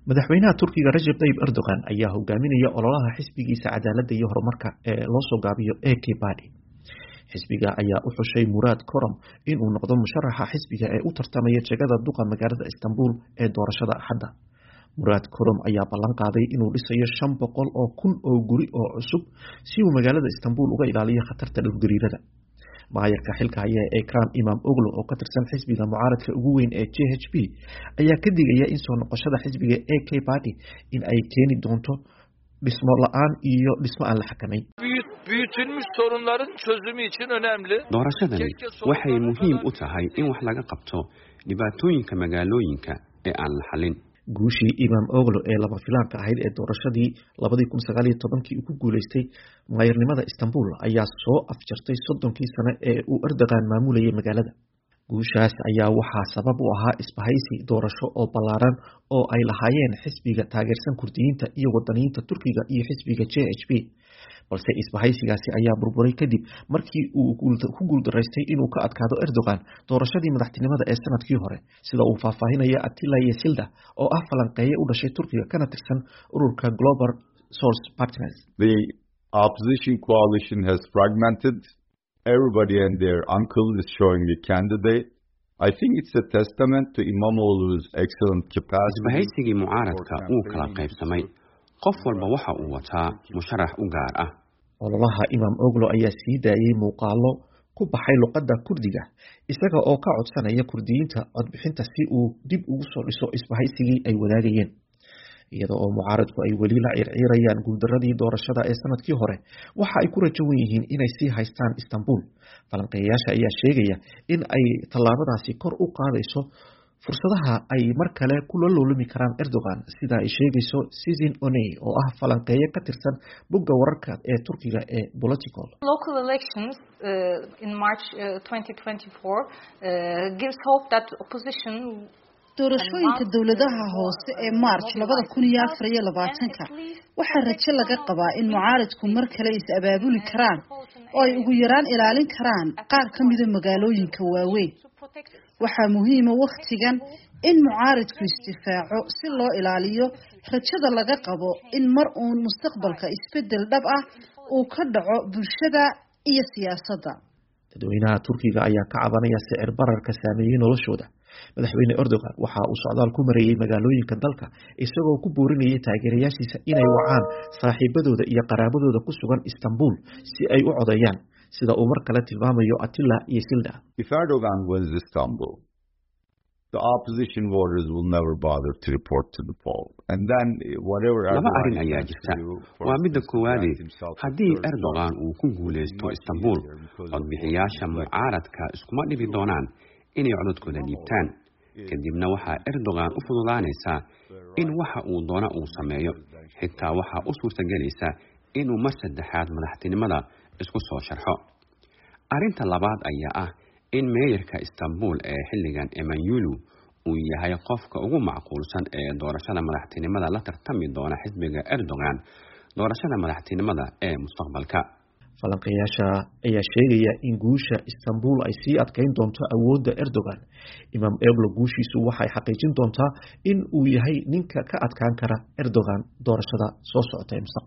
Madaxweynaha Turkiga Rajab Tayyip Erdogan ayaa hogaaminaya ololaha xisbigiisa cadaaladda iyo horumarka ee loo soo gaabiyo AK Party. Xisbiga ayaa u xushay Muraad Korom inuu noqdo musharaxa xisbiga ee u tartamaya jagada duqa magaalada Istanbul ee doorashada Axadda. Muraad Korom ayaa ballan qaaday inuu dhisayo 500,000 oo guri oo cusub si uu magaalada Istanbul uga ilaaliyo khatarta dhulgariirada. Maayarka xilka haya ee Ekrem Imamoglu oo ka tirsan xisbiga mucaaradka ugu weyn ee JHP ayaa ka digaya in soo noqoshada xisbiga AK Party in ay keeni doonto dhismo la'aan iyo dhismo aan la xakamayn. Büyütülmüş sorunların çözümü için önemli. Doorashadani waxay muhiim u tahay in wax laga qabto dhibaatooyinka magaalooyinka ee aan la xalin. Guushii Imamoglu ee lama filaanka ahayd ee doorashadii 2019kii uu ku guuleystay maayarnimada Istanbul ayaa soo afjartay 30kii sano ee uu Erdogan maamulayay magaalada. Guushaas ayaa waxaa sabab u ahaa isbahaysi doorasho oo ballaaran oo ay lahaayeen xisbiga taageersan Kurdiyiinta iyo wadaniyiinta Turkiga iyo xisbiga JHP. Balse isbahaysigaasi ayaa burburay kadib markii uu ku guuldaraystay inuu ka adkaado Erdogan doorashadii madaxtinimada ee sanadkii hore, sida uu faahfaahinaya Attila Yesilda oo ah falanqeeye u dhashay Turkiga kana tirsan ururka Global Source Partners. The opposition coalition has fragmented. Everybody and their uncle is showing a candidate. I think it's a testament to Imamoglu's excellent capacity. Isbahaysigii mucaaradka wuu kala qaybsamay. Qof walba waxa uu wataa musharax u gaar ah. Ololaha Imamoglu ayaa sii daayay muuqaallo ku baxay luqadda Kurdiga, isaga oo ka codsanaya Kurdiyiinta codbixinta si uu dib ugu soo dhiso isbahaysigii ay wadaagayeen. Iyada oo mucaaradku ay weli la ciirciirayaan guuldaradii doorashada ee sanadkii hore, waxa ay ku rajo wen yihiin inay sii haystaan Istanbul. Falanqeeyayaasha ayaa sheegaya in ay tallaabadaasi kor u qaadayso fursadaha ay mar kale kula loolami karaan Erdogan, sida ay sheegayso Sizin Oney oo ah falanqeeye ka tirsan bogga wararka ee Turkiga ee Political. Local elections in March 2024 gives hope that opposition. Doorashooyinka dowladaha hoose ee March 2024-ka waxaa rajo laga qabaa in mucaaradku mar kale is abaabuli karaan oo ay ugu yaraan ilaalin karaan qaar ka mida magaalooyinka waaweyn. Waxaa muhiima wakhtigan in mucaaradku isdifaaco si loo ilaaliyo rajada laga qabo in mar uun mustaqbalka isbedel dhab ah uu ka dhaco bulshada iyo siyaasadda. Dadweynaha Turkiga ayaa ka cabanaya sicir bararka saameeyey noloshooda. Madaxweyne Erdogan waxa uu socdaal ku mareeyey magaalooyinka dalka isagoo ku boorinayay taageerayaashiisa inay wacaan saaxiibadooda iyo qaraabadooda ku sugan Istanbul si ay u codeeyaan, sida uu mar kale tilmaamayo Attila Yesilda. If Erdogan wins Istanbul, the opposition voters will never bother to report to the poll. And then whatever Laba arrin ayaa jirta. Waa midda koowaade, haddii Erdogan uu ku guuleysto Istanbul, codbixiyaasha mucaaradka iskuma dhibi doonaan inay codadkooda dhiibtaan. Kadibna waxaa Erdogan u fududaanaysaa in waxa uu doona uu sameeyo, xitaa waxaa u suurtagelaysa inuu mar saddexaad madaxtinimada isku soo sharxo. Arrinta labaad ayaa ah in meeyarka Istanbul ee xilligan Emmanuelu uu yahay qofka ugu macquulsan ee doorashada madaxtinimada la tartami doona xisbiga Erdogan doorashada madaxtinimada ee mustaqbalka. Falanqeeyaasha ayaa sheegaya in guusha Istanbul ay sii adkeyn doonto awoodda Erdogan. Imamoglu guushiisu waxay xaqiijin doontaa in uu yahay ninka ka adkaan kara Erdogan doorashada soo socota ee mustaqbalka.